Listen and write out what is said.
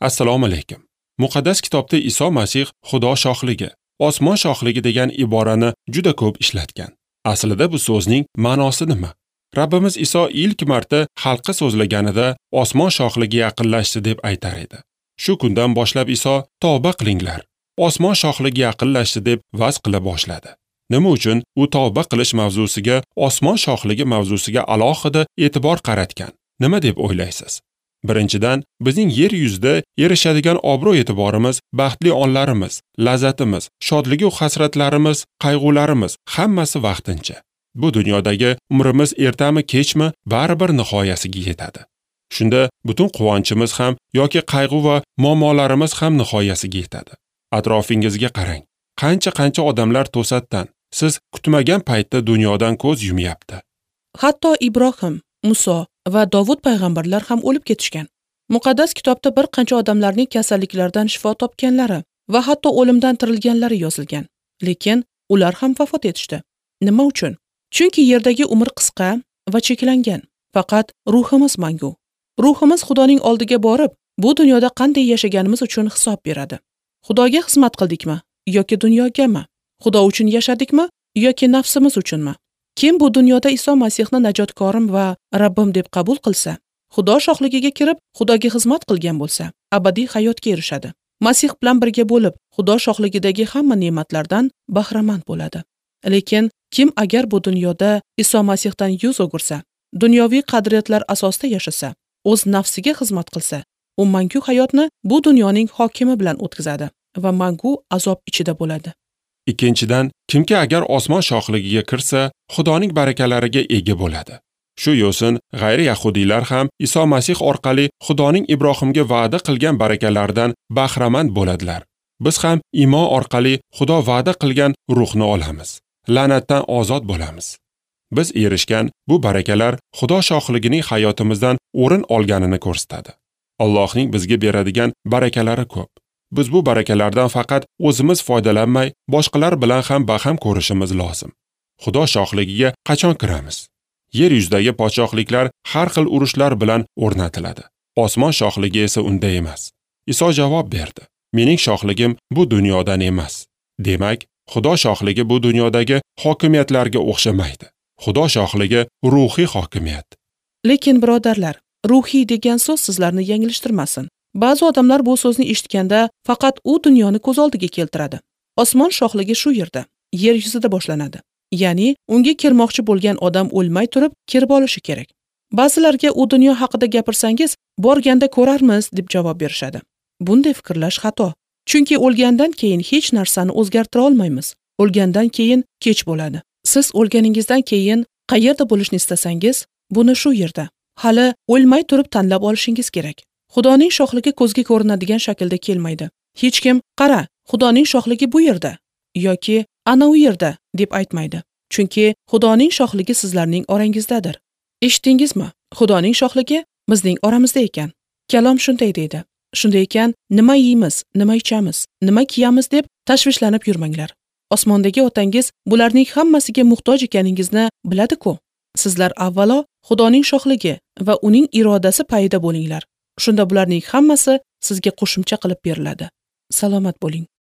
Assalomu alaykum. Muqaddas kitobda Iso Masih Xudo shohligi, osmon shohligi degan iborani juda ko'p ishlatgan. Aslida bu so'zning ma'nosi nima? Rabbimiz Iso ilk marta xalqqa so'zlaganida osmon shohligi yaqinlashdi deb aytar edi. Shu kundan boshlab Iso tavba qilinglar, osmon shohligi yaqinlashdi deb va'z qila boshladi. Nima uchun u tavba qilish mavzusiga, osmon shohligi mavzusiga alohida e'tibor qaratgan? Nima deb o'ylaysiz? Birinchidan, bizning yer yuzida erishadigan obro'-e'tiborimiz, baxtli onlarimiz, lazzatimiz, shodligi va hasratlarimiz, qayg'ularimiz hammasi vaqtincha. Bu dunyodagi umrimiz ertami kechmi baribir nihoyasiga yetadi. Shunda butun quvonchimiz ham yoki qayg'u va muammolarimiz ham nihoyasiga yetadi. Atrofingizga qarang. Qancha-qancha odamlar to'satdan, siz kutmagan paytda dunyodan ko'z yumyapti. Hatto Ibrohim, Muso va Dovud payg'ambarlar ham o'lib ketishgan. Muqaddas kitobda bir qancha odamlarning kasalliklardan shifo topganlari va hatto o'limdan tirilganlari yozilgan. Lekin ular ham vafot etishdi. Nima uchun? Chunki yerdagi umr qisqa va cheklangan. Faqat ruhimiz mangu. Ruhimiz Xudoning oldiga borib, bu dunyoda qanday yashaganimiz uchun hisob beradi. Xudoga xizmat qildikmi yoki dunyogami? Xudo uchun yashadikmi yoki nafsimiz uchunmi? Kim bu dunyoda Iso Masihni najotkorim va Rabbim deb qabul qilsa, Xudo shohligiga kirib, Xudoga xizmat qilgan bo'lsa, abadiy hayotga erishadi. Masih bilan birga bo'lib, Xudo shohligidagi hamma ne'matlardan bahramand bo'ladi. Lekin kim agar bu dunyoda Iso Masihdan yuz o'girsa, dunyoviy qadriyatlar asosida yashasa, o'z nafsiga xizmat qilsa, u mangu hayotni bu dunyoning hokimi bilan o'tkazadi va mangu azob ichida bo'ladi. Ikkinchidan, kimki agar osmon shohligiga kirsa, Xudoning barakalariga ega bo'ladi. Shu yo'sin g'ayri yahudiylar ham Iso Masih orqali Xudoning Ibrohimga va'da qilgan barakalaridan bahramand bo'ladilar. Biz ham iymon orqali Xudo va'da qilgan ruhni olamiz. La'natdan ozod bo'lamiz. Biz erishgan bu barakalar Xudo shohligining hayotimizdan o'rin olganini ko'rsatadi. Allohning bizga beradigan barakalari ko'p. Biz bu barakalardan faqat o'zimiz foydalanmay, boshqalar bilan ham baham ko'rishimiz lozim. Xudo shohligiga qachon kiramiz? Yer yuzidagi podshohliklar har xil urushlar bilan o'rnatiladi. Osmon shohligi esa unday emas. Iso javob berdi: "Mening shohligim bu dunyodan emas." Demak, Xudo shohligi bu dunyodagi hokimiyatlarga o'xshamaydi. Xudo shohligi ruhiy hokimiyat. Lekin birodarlar, ruhiy degan so'z sizlarni yanglishtirmasin. Ba'zi odamlar bu so'zni eshitganda faqat u dunyoni ko'z oldiga keltiradi. Osmon shohligi shu yerda, yer yuzida boshlanadi. Ya'ni unga kirmoqchi bo'lgan odam o'lmay turib kirib olishi kerak. Ba'zilarga u dunyo haqida gapirsangiz, borganda ko'rarmiz deb javob berishadi. Bunday fikrlash xato. Chunki o'lgandan keyin hech narsani o'zgartira olmaymiz. O'lgandan keyin kech bo'ladi. Siz o'lganingizdan keyin qayerda bo'lishni istasangiz, buni shu yerda, hali o'lmay turib tanlab olishingiz kerak. Xudoning shohligi ko'zga ko'rinadigan shaklda kelmaydi. Hech kim "Qara, Xudoning shohligi bu yerda" yoki "Ana u yerda" deb aytmaydi. Chunki Xudoning shohligi sizlarning orangizdadir. Eshitdingizmi? Xudoning shohligi bizning oramizda ekan. Kalom shunday deydi. Shunday ekan, nima yeymiz, nima ichamiz, nima kiyamiz deb tashvishlanib yurmanglar. Osmondagi otangiz bularning hammasiga muhtoj ekaningizni biladi-ku. Sizlar avvalo Xudoning shohligi va uning irodasi payida bo'linglar. Shunda bularning hammasi sizga qo'shimcha qilib beriladi. Salomat bo'ling.